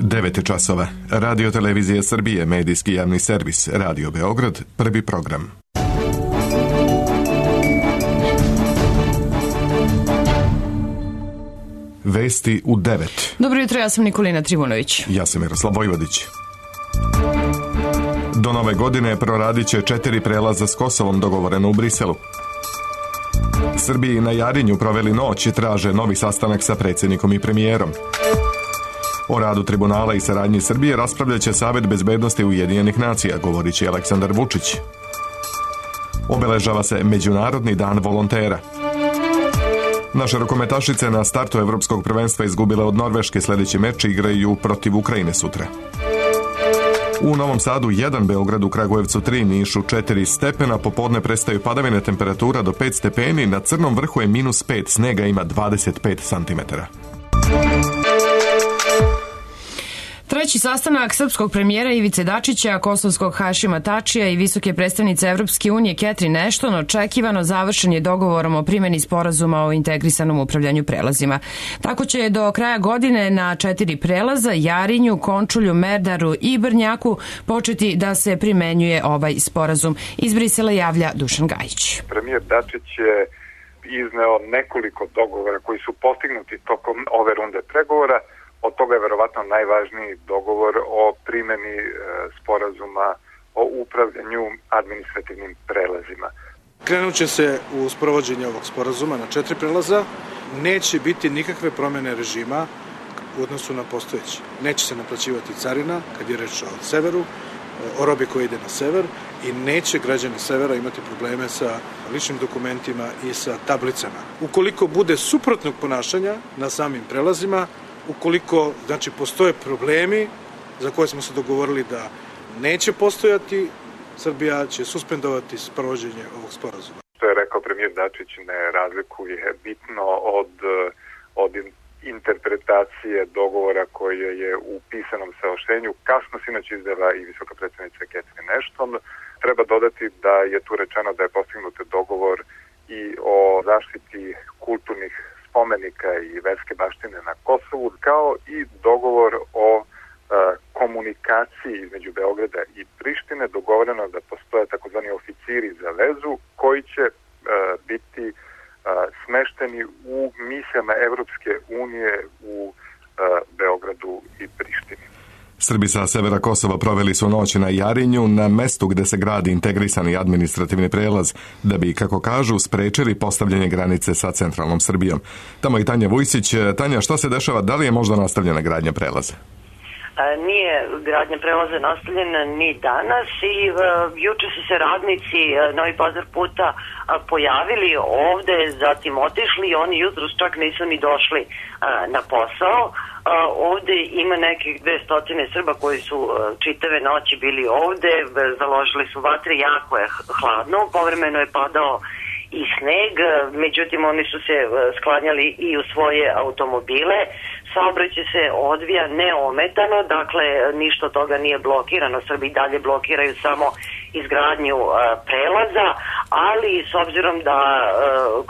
9 časova. Radio Televizija Srbije, medijski javni servis, Radio Beograd, prvi program. Vesti u 9. Dobro jutro, ja sam Nikolina Trivunović. Ja sam Miroslav Vojvodić. Do nove godine proradit će 4 prelaza s Kosovom dogovoreno u Briselu. Srbiji na Jarinju proveli noć i traže novi sastanak sa predsjednikom i premijerom. O radu tribunala i saradnji Srbije raspravljaće Savet bezbednosti Ujedinjenih nacija, govorit će Aleksandar Vučić. Obeležava se Međunarodni dan volontera. Naše rukometašice na startu Evropskog prvenstva izgubile od Norveške, sljedeći meč igraju protiv Ukrajine sutra. U Novom Sadu 1, Beogradu, Kragujevcu 3, Nišu 4 stepena, popodne prestaju padavine, temperatura do 5 stepeni, na Crnom vrhu je -5, snega ima 25 centimetara. Treći sastanak srpskog premijera Ivice Dačića, kosovskog Hašima Tačija i visoke predstavnice Evropske unije Catherine Ashton očekivano završen je dogovorom o primjeni sporazuma o integrisanom upravljanju prelazima. Tako će do kraja godine na 4 prelaza, Jarinju, Končulju, Merdaru i Brnjaku, početi da se primenjuje ovaj sporazum. Iz Brisela javlja Dušan Gajić. Premijer Dačić je izneo nekoliko dogovora koji su postignuti tokom ove runde pregovora. Od toga je verovatno najvažniji dogovor o primjeni sporazuma o upravljanju administrativnim prelazima. Krenut će se u sprovođenje ovog sporazuma na 4 prelaza. Neće biti nikakve promjene režima u odnosu na postojeći. Neće se naplaćivati carina kad je reč o severu, o robi koja ide na sever, i neće građani severa imati probleme sa ličnim dokumentima i sa tablicama. Ukoliko bude suprotnog ponašanja na samim prelazima, ukoliko postoje problemi za koje smo se dogovorili da neće postojati, Srbija će suspendovati sprovođenje ovog sporazuma. Što je rekao premijer Dačić, ne razlikuje bitno od interpretacije dogovora koje je u pisanom saopštenju kasno sinoć izdala i visoka predstavnica Catherine Ashton. Treba dodati da je tu rečeno da je postignut dogovor i o zaštiti kulturnih spomenika i verske baštine na Kosovu, kao i dogovor o komunikaciji između Beograda i Prištine. Dogovoreno da postoje takozvani oficiri za vezu koji će biti smešteni u misijama Evropske unije u Beogradu i Prištini. Srbi sa severa Kosova proveli su noć na Jarinju, na mestu gde se gradi integrisani administrativni prelaz, da bi, kako kažu, sprečili postavljanje granice sa centralnom Srbijom. Tamo i Tanja Vujsić. Tanja, šta se dešava? Da li je možda nastavljena gradnja prelaza? Nije gradnja prelaza nastavljena ni danas i juče su se radnici Novi Pazar puta pojavili ovde, zatim otišli i oni jutros čak nisu ni došli na posao. Ovde ima nekih 200 Srba koji su čitave noći bili ovde, založili su vatre, jako je hladno, povremeno je padao i sneg, međutim oni su se sklanjali i u svoje automobile. Saobraćaj se odvija neometano, dakle ništa od toga nije blokirano. Srbi dalje blokiraju samo izgradnju prelaza, ali s obzirom da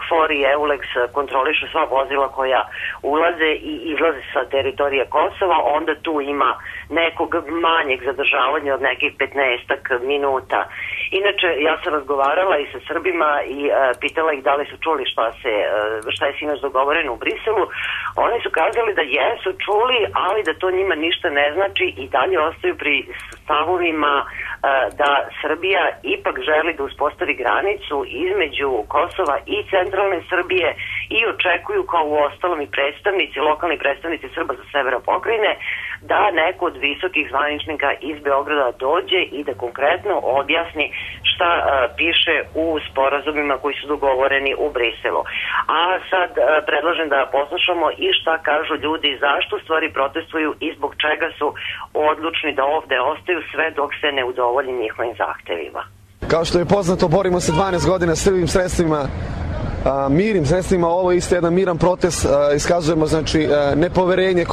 KFOR i EULEX kontrolišu sva vozila koja ulaze i izlaze sa teritorije Kosova, onda tu ima nekog manjeg zadržavanja od nekih 15 minuta. Inače, ja sam razgovarala i sa Srbima i pitala ih da li su čuli šta je sinoć dogovoreno u Briselu. Oni su kazali da jesu čuli, ali da to njima ništa ne znači i dalje ostaju pri stavovima da Srbija ipak želi da uspostavi granicu između Kosova i centralne Srbije i očekuju, kao u ostalom i lokalni predstavnici Srba sa severa pokrajine, da neko od visokih zvaničnika iz Beograda dođe i da konkretno objasni šta piše u sporazumima koji su dogovoreni u Briselu. A sad predlažem da poslušamo i šta kažu ljudi, zašto stvari protestuju i zbog čega su odlučni da ovde ostaju sve dok se ne udovolji njihovim zahtevima. Kao što je poznato, borimo se 12 godina srbim sredstvima mirnim sredstvima. Ovo je isto jedan miran protest. Iskazujemo znači nepoverenje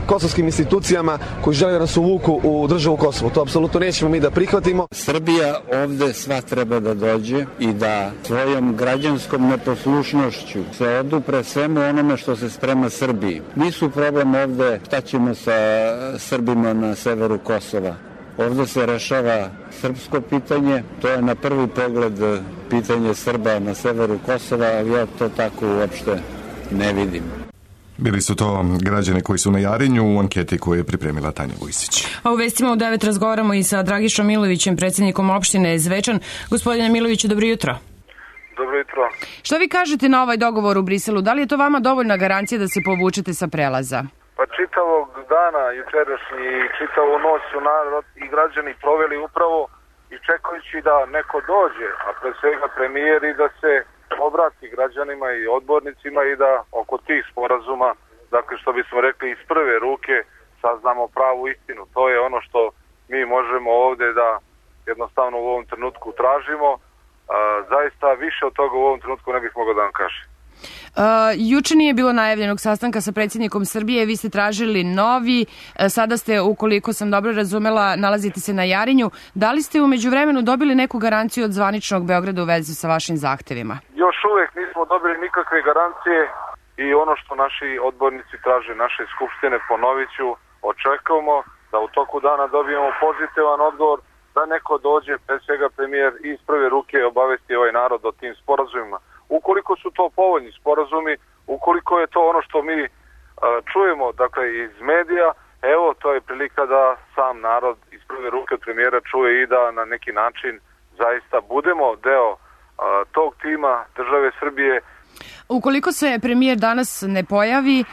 kosovskim institucijama koji žele da nas uvuku u državu Kosovo. To apsolutno nećemo mi da prihvatimo. Srbija ovde sva treba da dođe i da svojom građanskom neposlušnošću se odupre svemu onome što se sprema Srbiji. Nisu problem ovde šta ćemo sa Srbima na severu Kosova. Ovde se rešava srpsko pitanje, to je na prvi pogled pitanje Srba na severu Kosova, ali ja to tako uopšte ne vidim. Bili su to građani koji su na Jarinju u anketi koju je pripremila Tanja Vujsić. A u vestima u 9 razgovaramo i sa Dragišom Milovićem, predsjednikom opštine Zvečan. Gospodine Miloviću, dobro jutro. Dobro jutro. Šta vi kažete na ovaj dogovor u Briselu? Da li je to vama dovoljna garancija da se povučete sa prelaza? Pa čitavog dana jučerašnji i čitavu noć su narod i građani proveli upravo i čekajući da neko dođe, a pre svega premijer, i da se obrati građanima i odbornicima i da oko tih sporazuma, dakle što bismo rekli iz prve ruke, saznamo pravu istinu. To je ono što mi možemo ovde da jednostavno u ovom trenutku tražimo. Zaista više od toga u ovom trenutku ne bih mogao da vam kažem. Juče nije bilo najavljenog sastanka sa predsjednikom Srbije, vi ste tražili novi, sada ste, ukoliko sam dobro razumela, nalazite se na Jarinju. Da li ste u međuvremenu dobili neku garanciju od zvaničnog Beograda u vezi sa vašim zahtevima? Još uvek nismo dobili nikakve garancije i ono što naši odbornici traže naše skupštine, ponovit ću, očekujemo da u toku dana dobijemo pozitivan odgovor, da neko dođe, pre svega premijer, iz prve ruke obavesti ovaj narod o tim sporazumima. Ukoliko su to povoljni sporazumi, ukoliko je to ono što mi čujemo, dakle, iz medija, evo, to je prilika da sam narod iz prve ruke od premijera čuje i da na neki način zaista budemo deo tog tima države Srbije. Ukoliko se premijer danas ne pojavi,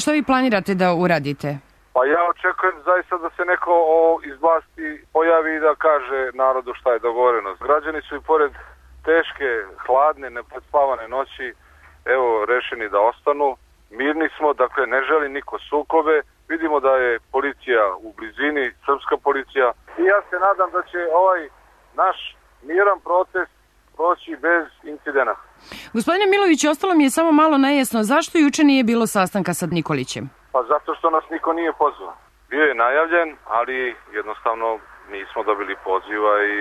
šta vi planirate da uradite? Pa ja očekujem zaista da se neko iz vlasti pojavi i da kaže narodu šta je dogovoreno. Građani su i pored teške, hladne, neprespavane noći, evo, rešeni da ostanu. Mirni smo, dakle, ne želi niko sukobe. Vidimo da je policija u blizini, srpska policija. I ja se nadam da će ovaj naš miran protest proći bez incidenata. Gospodine Milović, ostalo mi je samo malo nejasno. Zašto juče nije bilo sastanka sa Nikolićem? Pa zato što nas niko nije pozvao. Bio je najavljen, ali jednostavno nismo dobili poziva i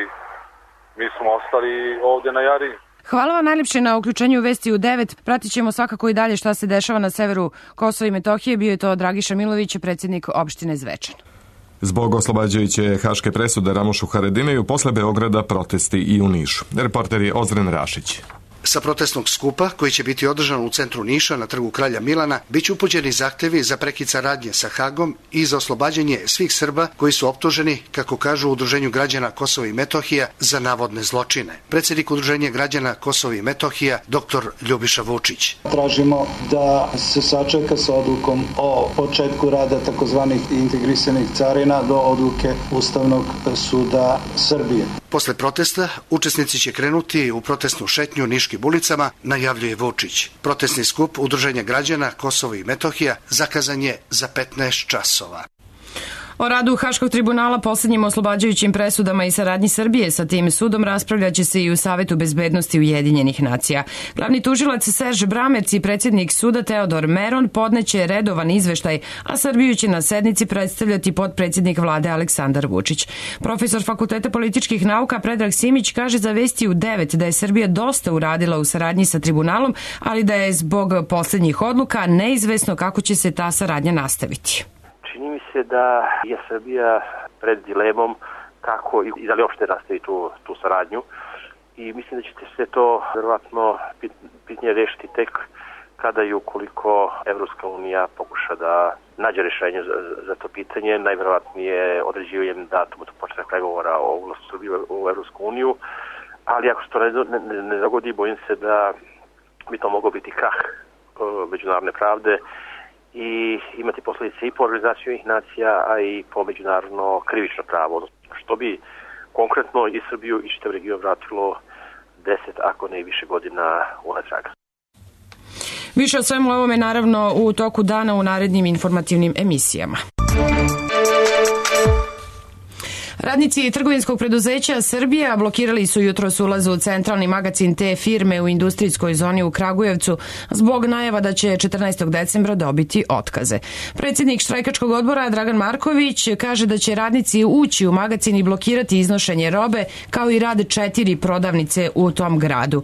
mi smo ostali ovde na Jarinju. Hvala vam najljepše na uključenju u Vesti u 9. Pratit ćemo svakako i dalje šta se dešava na severu Kosova i Metohije. Bio je to Dragiša Milović, predsjednik opštine Zvečan. Zbog oslobađajuće haške presude Ramušu Haradinaju posle Beograda protesti i u Nišu. Reporter je Ozren Rašić. Sa protestnog skupa, koji će biti održan u centru Niša na trgu Kralja Milana, biće upućeni zahtevi za prekid saradnje sa Hagom i za oslobađanje svih Srba koji su optuženi, kako kažu u Udruženju građana Kosova i Metohija, za navodne zločine. Predsjednik Udruženja građana Kosova i Metohija, dr. Ljubiša Vučić. Tražimo da se sačeka sa odlukom o početku rada takozvanih integrisanih carina do odluke Ustavnog suda Srbije. Posle protesta, učesnici će krenuti u protestnu šetnju Niškim ulicama, najavljuje Vučić. Protestni skup Udruženja građana Kosova i Metohija zakazan je za 15 časova. O radu Haškog tribunala, posljednjim oslobađajućim presudama i saradnji Srbije sa tim sudom raspravljaće se i u Savetu bezbednosti Ujedinjenih nacija. Glavni tužilac Serž Bramerc i predsjednik suda Teodor Meron podneće redovan izveštaj, a Srbiju će na sednici predstavljati potpredsjednik vlade Aleksandar Vučić. Profesor Fakulteta političkih nauka Predrag Simić kaže za Vesti u 9 da je Srbija dosta uradila u saradnji sa tribunalom, ali da je zbog posljednjih odluka neizvesno kako će se ta saradnja nastaviti. Čini mi se da je Srbija pred dilemom kako i da li uopšte nastavi tu saradnju i mislim da će se to verovatno pitanje rešiti tek kada i ukoliko Evropska unija pokuša da nađe rešenje za to pitanje, najverovatnije određivanjem datuma do početka pregovora o ulasku Srbije u Evropsku uniju, ali ako se to ne dogodi, bojim se da bi to moglo biti krah međunarodne pravde i imati posljedice i po organizaciju Ujedinjenih nacija, a i po međunarodno krivično pravo, što bi konkretno i Srbiju i čitav region vratilo 10, ako ne i više godina unatrag. Više o svemu ovome naravno u toku dana u narednim informativnim emisijama. Radnici trgovinskog preduzeća Srbija blokirali su jutros ulaz u centralni magacin te firme u industrijskoj zoni u Kragujevcu zbog najava da će 14. decembra dobiti otkaze. Predsjednik štrajkačkog odbora Dragan Marković kaže da će radnici ući u magacin i blokirati iznošenje robe kao i rad 4 prodavnice u tom gradu.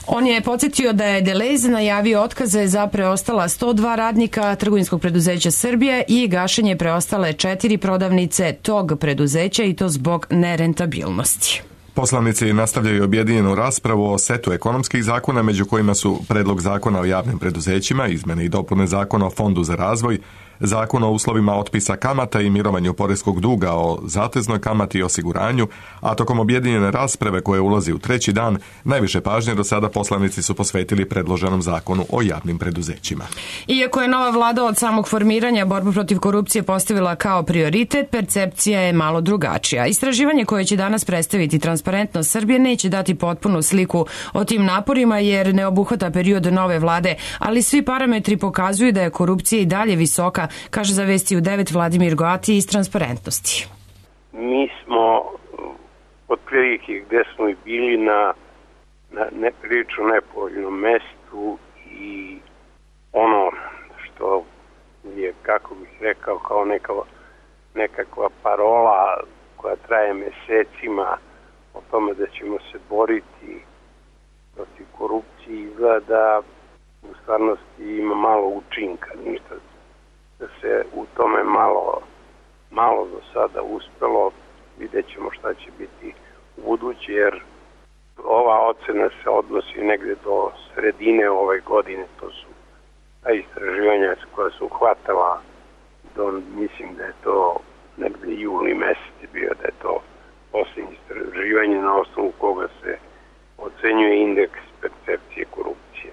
On je podsjetio da je Deleuze najavio otkaze za preostala 102 radnika trgovinskog preduzeća Srbija i gašenje preostale 4 prodavnice tog preduzeća i to zbog nerentabilnosti. Poslanici nastavljaju objedinjenu raspravu o setu ekonomskih zakona, među kojima su predlog zakona o javnim preduzećima, izmene i dopune zakona o Fondu za razvoj, zakon o uslovima otpisa kamata i mirovanju poreskog duga, o zateznoj kamati i osiguranju, a tokom objedinjene rasprave koje ulazi u 3. dan, najviše pažnje do sada poslanici su posvetili predloženom zakonu o javnim preduzećima. Iako je nova vlada od samog formiranja borbu protiv korupcije postavila kao prioritet, percepcija je malo drugačija. Istraživanje koje će danas predstaviti Transparentnost Srbije neće dati potpunu sliku o tim naporima jer ne obuhvata period nove vlade, ali svi parametri pokazuju da je korupcija i dalje visoka, kaže za Vesti u 9 Vladimir Goati iz Transparentnosti. Mi smo otprilike gde smo i bili na neprilično nepovoljnom mestu i ono što je, kako bih rekao, kao nekakva parola koja traje mesecima o tome da ćemo se boriti protiv korupcije, izgleda u stvarnosti ima malo učinka, ništa da se u tome malo do sada uspelo. Vidjet ćemo šta će biti u buduće, jer ova ocena se odnosi negde do sredine ove godine. To su ta istraživanja koja su hvatala mislim da je to negde juli mesec bio, da je to posljednje istraživanje na osnovu koga se ocenjuje indeks percepcije korupcije.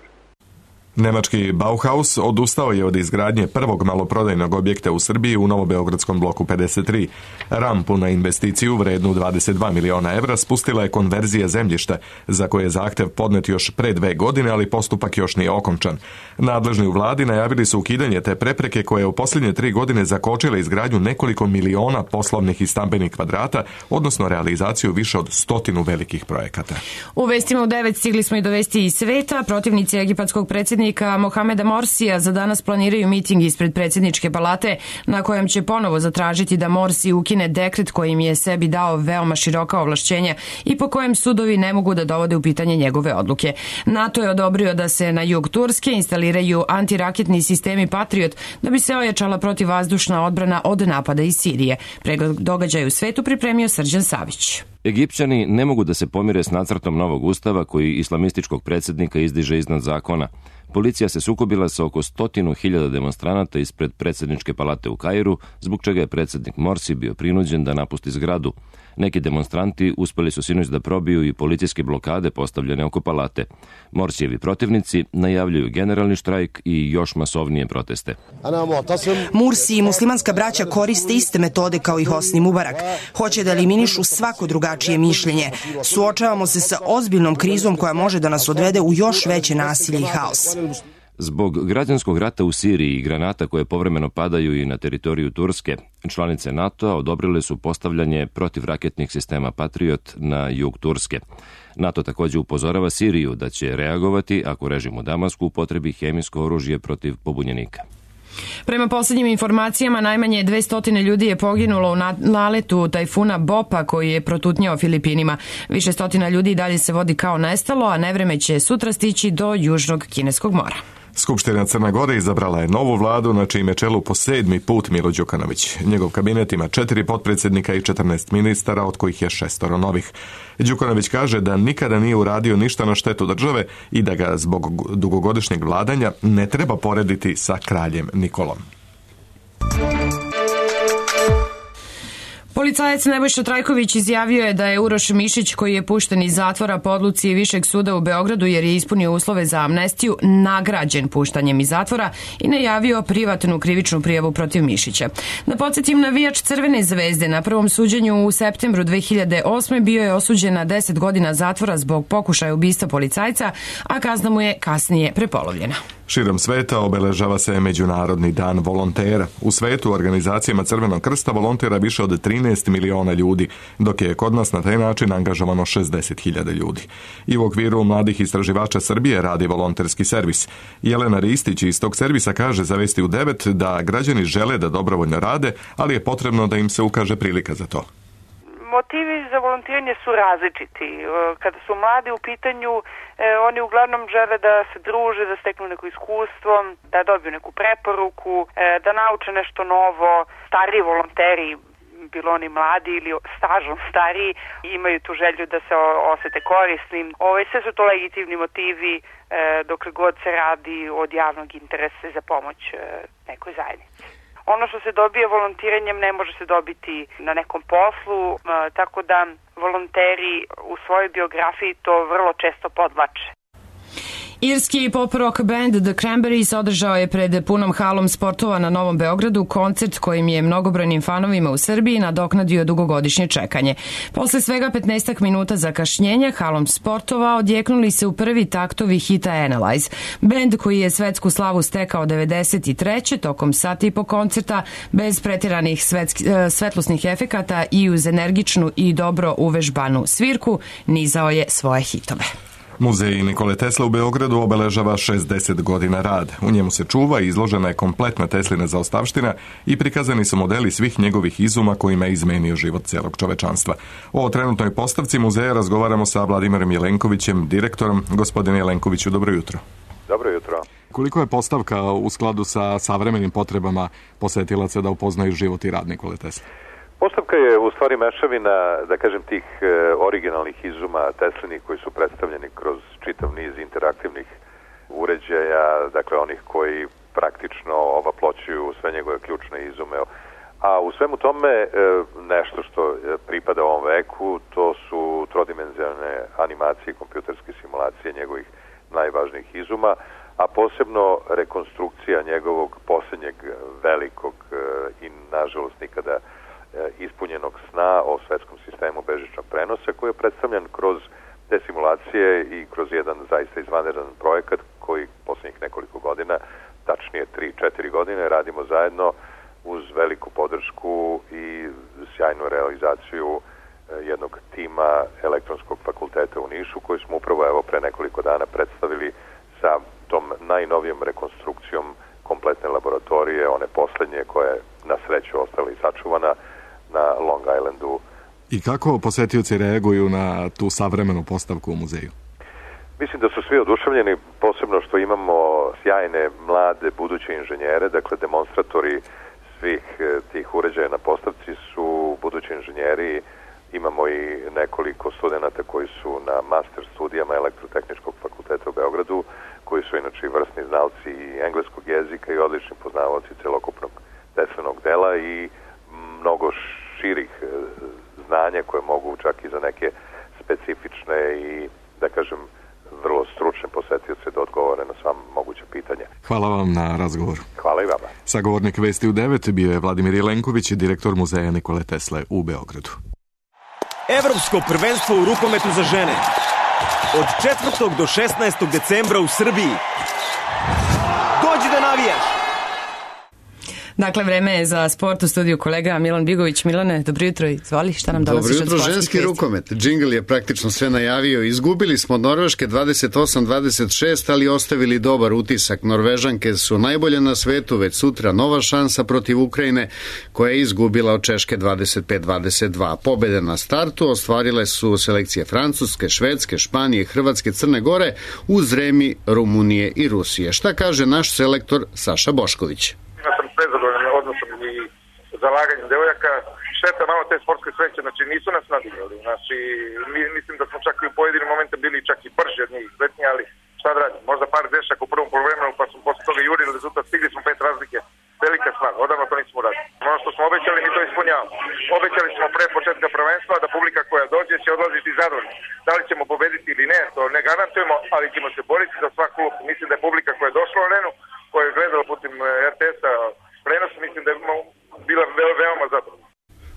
Nemački Bauhaus odustao je od izgradnje prvog maloprodajnog objekta u Srbiji u Novobeogradskom bloku 53. Rampu na investiciju vrednu 22 miliona evra spustila je konverzija zemljišta, za koje je zahtev podnet još pre 2 godine, ali postupak još nije okončan. Nadležni u vladi najavili su ukidanje te prepreke koje je u posljednje 3 godine zakočile izgradnju nekoliko miliona poslovnih i stambenih kvadrata, odnosno realizaciju više od 100 velikih projekata. U Vestima u 9 stigli smo i do vesti iz sveta. Protivnici egipatskog predsjednika Mohameda Morsija za danas planiraju miting ispred predsjedničke palate na kojem će ponovo zatražiti da Morsi ukine dekret kojim je sebi dao veoma široka ovlašćenja i po kojem sudovi ne mogu da dovode u pitanje njegove odluke. NATO je odobrio da se na jug Turske instaliraju antiraketni sistemi Patriot da bi se ojačala protivvazdušna odbrana od napada iz Sirije. Pregled događaja u svetu pripremio Srđan Savić. Egipćani ne mogu da se pomire s nacrtom novog ustava koji islamističkog predsjednika izdiže iznad zakona. Policija se sukobila sa oko 100.000 demonstranata ispred predsjedničke palate u Kairu, zbog čega je predsjednik Morsi bio prinuđen da napusti zgradu. Neki demonstranti uspeli su sinoć da probiju i policijske blokade postavljene oko palate. Morsijevi protivnici najavljuju generalni štrajk i još masovnije proteste. Mursi i muslimanska braća koriste iste metode kao i Hosni Mubarak. Hoće da eliminišu svako drugačije mišljenje. Suočavamo se sa ozbiljnom krizom koja može da nas odvede u još veće nasilje i haos. Zbog građanskog rata u Siriji i granata koje povremeno padaju i na teritoriju Turske, članice NATO-a odobrile su postavljanje protivraketnih sistema Patriot na jug Turske. NATO također upozorava Siriju da će reagovati ako režim u Damasku upotrebi hemijsko oružje protiv pobunjenika. Prema posljednjim informacijama, najmanje 200 ljudi je poginulo u naletu tajfuna Bopa koji je protutnjao Filipinima. Više stotina ljudi dalje se vodi kao nestalo, a nevreme će sutra stići do Južnog Kineskog mora. Skupština Crne Gore izabrala je novu vladu na čijem je čelu po 7. put Milo Đukanović. Njegov kabinet ima 4 potpredsjednika i 14 ministara, od kojih je 6 novih. Đukanović kaže da nikada nije uradio ništa na štetu države i da ga zbog dugogodišnjeg vladanja ne treba porediti sa kraljem Nikolom. Policajac Nebojša Trajković izjavio je da je Uroš Mišić, koji je pušten iz zatvora po odluci Višeg suda u Beogradu jer je ispunio uslove za amnestiju, nagrađen puštanjem iz zatvora i najavio privatnu krivičnu prijavu protiv Mišića. Da podsjetim, navijač Crvene zvezde na prvom suđenju u septembru 2008. bio je osuđen na 10 godina zatvora zbog pokušaja ubistva policajca, a kazna mu je kasnije prepolovljena. Širom sveta obeležava se Međunarodni dan volontera. U svetu u organizacijama Crvenog krsta volontera više od 13 miliona ljudi, dok je kod nas na taj način angažovano 60.000 ljudi. I u okviru mladih istraživača Srbije radi volonterski servis. Jelena Ristić iz tog servisa kaže za Vesti u 9 da građani žele da dobrovoljno rade, ali je potrebno da im se ukaže prilika za to. Motivi za volontiranje su različiti. Kada su mladi u pitanju, oni uglavnom žele da se druže, da steknu neko iskustvo, da dobiju neku preporuku, da nauče nešto novo. Stariji volonteri, bilo oni mladi ili stažom stariji, imaju tu želju da se osete korisnim. Sve su to legitimni motivi dokle god se radi od javnog interesa za pomoć nekoj zajednici. Ono što se dobije volontiranjem ne može se dobiti na nekom poslu, tako da volonteri u svojoj biografiji to vrlo često podvlače. Irski pop-rock band The Cranberries održao je pred punom halom sportova na Novom Beogradu koncert kojim je mnogobrojnim fanovima u Srbiji nadoknadio dugogodišnje čekanje. Posle svega 15 minuta zakašnjenja halom sportova odjeknuli se u prvi taktovi hita Analyze. Band koji je svetsku slavu stekao 93. tokom sati i po koncerta bez pretjeranih svetlosnih efekata i uz energičnu i dobro uvežbanu svirku nizao je svoje hitove. Muzej Nikole Tesle u Beogradu obeležava 60 godina rada. U njemu se čuva i izložena je kompletna Teslina zaostavština i prikazani su modeli svih njegovih izuma kojima je izmenio život celog čovečanstva. O trenutnoj postavci muzeja razgovaramo sa Vladimirom Jelenkovićem, direktorom. Gospodine Jelenkoviću, dobro jutro. Dobro jutro. Koliko je postavka u skladu sa savremenim potrebama posetilaca da upoznaju život i rad Nikole Tesle? Postavka je u stvari mešavina, da kažem, tih originalnih izuma Teslinih koji su predstavljeni kroz čitav niz interaktivnih uređaja, dakle onih koji praktično ovaploćuju sve njegove ključne izume. A u svemu tome nešto što pripada ovom veku, to su trodimenzionalne animacije, kompjuterske simulacije njegovih najvažnijih izuma, a posebno rekonstrukcija njegovog posljednjeg velikog i nažalost nikada ispunjenog sna o svetskom sistemu bežičnog prenosa koji je predstavljen kroz te simulacije i kroz jedan zaista izvanredan projekat koji posljednjih nekoliko godina, tačnije 3-4 godine, radimo zajedno uz veliku podršku i sjajnu realizaciju jednog tima Elektronskog fakulteta u Nišu koji smo upravo pre nekoliko dana predstavili sa tom najnovijom rekonstrukcijom kompletne laboratorije, one poslednje koja je na sreću ostala i sačuvana na Long Islandu. I kako posetioci reaguju na tu savremenu postavku u muzeju? Mislim da su svi oduševljeni, posebno što imamo sjajne, mlade, buduće inženjere, dakle demonstratori svih tih uređaja na postavci su budući inženjeri. Imamo i nekoliko studenata koji su na master studijama Elektrotehničkog fakulteta u Beogradu, koji su inače vrsni znalci engleskog jezika i odlični poznavaoci celokupnog Teslinog dela i mnogo širih znanja koje mogu čak i za neke specifične i, da kažem, vrlo stručne posetioce da odgovore na sva moguća pitanja. Hvala vam na razgovoru. Hvala i vama. Sagovornik Vesti u 9 bio je Vladimir Jelenković, direktor muzeja Nikole Tesle u Beogradu. Evropsko prvenstvo u rukometu za žene. Od 4. do 16. decembra u Srbiji. Dođi da navijaš! Dakle, vreme je za sport u studiju kolega Milan Bigović. Milane, dobro jutro, izvoli, šta nam donosiš od sportskih vesti? Dobro jutro, ženski rukomet. Džingl je praktično sve najavio. Izgubili smo od Norveške 28-26, ali ostavili dobar utisak. Norvežanke su najbolje na svetu, već sutra nova šansa protiv Ukrajine, koja je izgubila od Češke 25-22. Pobede na startu ostvarile su selekcije Francuske, Švedske, Španije, Hrvatske, Crne Gore, uz remi Rumunije i Rusije. Šta kaže naš selektor Saša Bošković? Zalaganjem devojaka, šteta malo te sportske sreće, znači nisu nas nadigrali, znači mislim da smo čak i u pojedinim momentima bili čak i brži od njih, sretniji, ali šta da radim, možda par grešaka u prvom poluvremenu pa smo posle toga jurili rezultat, stigli smo 5 razlike, velika stvar, odavno to nismo uradili. Ono što smo obećali, mi to ispunjavamo. Obećali smo pre početka prvenstva da publika koja dođe će odlaziti zadovoljna. Da li ćemo pobediti ili ne, to ne garantujemo, ali ćemo se boriti za svak klub. Mislim da je publika koja je došla u arenu, koja je gledala putem RTS-a prenos, mislim da je bila veoma zadovoljna.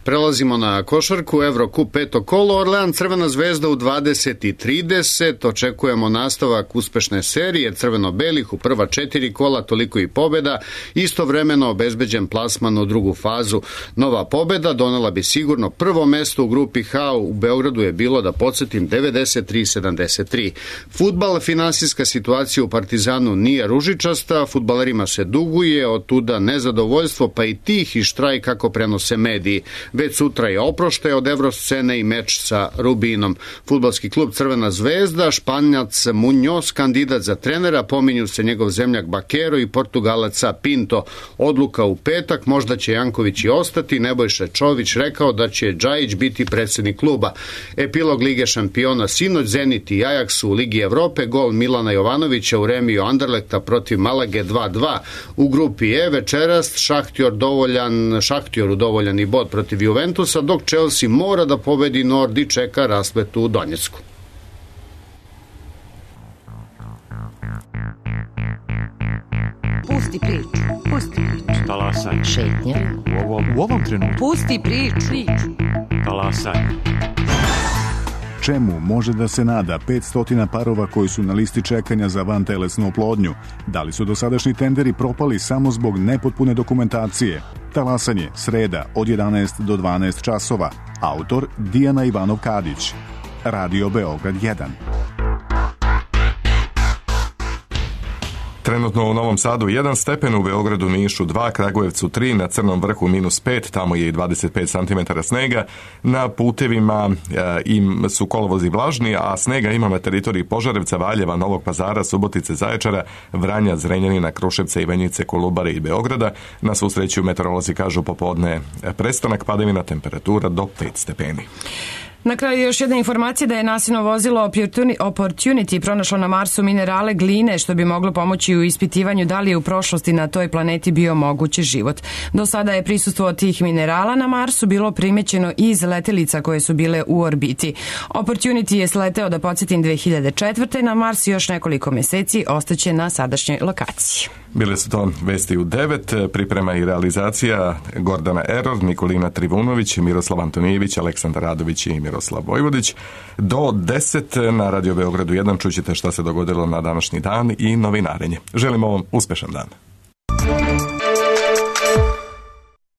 Prelazimo na košarku, Evrokup 5. kolo, Orlean Crvena zvezda u 20:30, očekujemo nastavak uspešne serije crveno-belih u prva 4 kola, toliko i pobjeda, istovremeno obezbeđen plasman u drugu fazu. Nova pobjeda donela bi sigurno prvo mesto u grupi H, u Beogradu je bilo, da podsjetim, 93-73. Fudbal, finansijska situacija u Partizanu nije ružičasta, fudbalerima se duguje, od tuda nezadovoljstvo, pa i tih i štrajk kako prenose mediji. Već sutra je oproštaj od evroscene i meč sa Rubinom. Fudbalski klub Crvena zvezda, Španjac Muñoz, kandidat za trenera, pominju se njegov zemljak Bakero i Portugalaca Pinto. Odluka u petak, možda će Janković i ostati, Nebojša Čović rekao da će Džajić biti predsjednik kluba. Epilog Lige šampiona sinoć, Zenit i Ajax u Ligi Evrope, gol Milana Jovanovića u remiju Anderlekta protiv Malage 2:2. U grupi E večeras Šahtjoru dovoljan i bod protiv Juventusa, dok Chelsea mora da pobedi Nord i čeka rasplet u Donjecku. Pusti priču. Talasaj. Šetnja. U ovom trenutku. Pusti priču. Talasaj. Čemu može da se nada 500 parova koji su na listi čekanja za vantelesnu oplodnju? Da li su dosadašnji tenderi propali samo zbog nepotpune dokumentacije? Talasanje, sreda od 11 do 12 časova. Autor Dijana Ivanov-Kadić. Radio Beograd 1. Trenutno u Novom Sadu 1 stepen, u Beogradu, Nišu 2, Kragujevcu 3, na Crnom vrhu -5, tamo je i 25 cm snega. Na putevima su kolovozi vlažni, a snega ima na teritoriji Požarevca, Valjeva, Novog Pazara, Subotice, Zaječara, Vranja, Zrenjanina, Kruševca, Ivanjice, Kolubare i Beograda. Na svu sreću meteorolozi kažu popodne prestanak padavina, temperatura do 5 stepeni. Na kraju još jedna informacija da je NASIno vozilo Opportunity pronašlo na Marsu minerale gline, što bi moglo pomoći u ispitivanju da li je u prošlosti na toj planeti bio moguć život. Do sada je prisustvo tih minerala na Marsu bilo primećeno iz letelica koje su bile u orbiti. Opportunity je sleteo, da podsjetim, 2004. na Mars, još nekoliko meseci ostaće na sadašnjoj lokaciji. Bile su to vesti u 9, priprema i realizacija Gordana Eror, Nikolina Trivunović, Miroslav Antonijević, Aleksandar Radović i Miroslav Vojvodić. Do 10 na Radio Beogradu 1 čućete šta se dogodilo na današnji dan i novinarenje. Želimo vam uspešan dan.